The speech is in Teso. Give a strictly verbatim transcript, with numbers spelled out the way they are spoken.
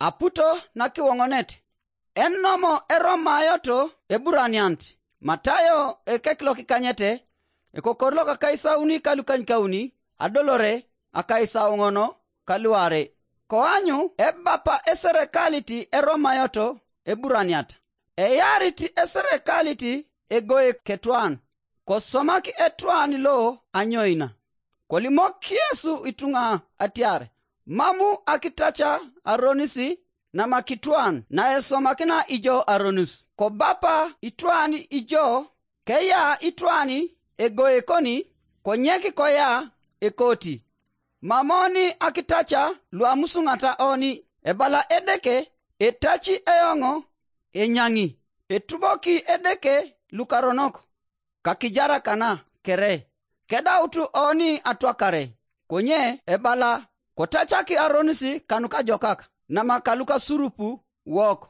Aputo nakiwoŋonet. Enomo eromayoto eburaniant. Matayo ekek lokikanyete, ekokor lokakaisauni kalukanykauni, adolore akaisauŋono kaluare. Koanyu ebapa eserekalit eromayoto eburaniat. Eyarit eserekalit egoe ketwan. Kosomak etwan lo anyoina. Kolimok Yesu ituŋa atiar, mamu akitaca aronis namakitwan naesomakina ijo aronis. Kobapa itwan ijo, keya itwan egoe koni, konyek koya ekoti. Mamoni akitaca luamusuŋata oni, ebala Edeke, etaci eoŋ enyaŋi, etuboki Edeke lukaronok kakijarakana kere, kedautu oni atwakare, konye ebala, kotacaki aronis kanukajokak namakaluka surupu wok.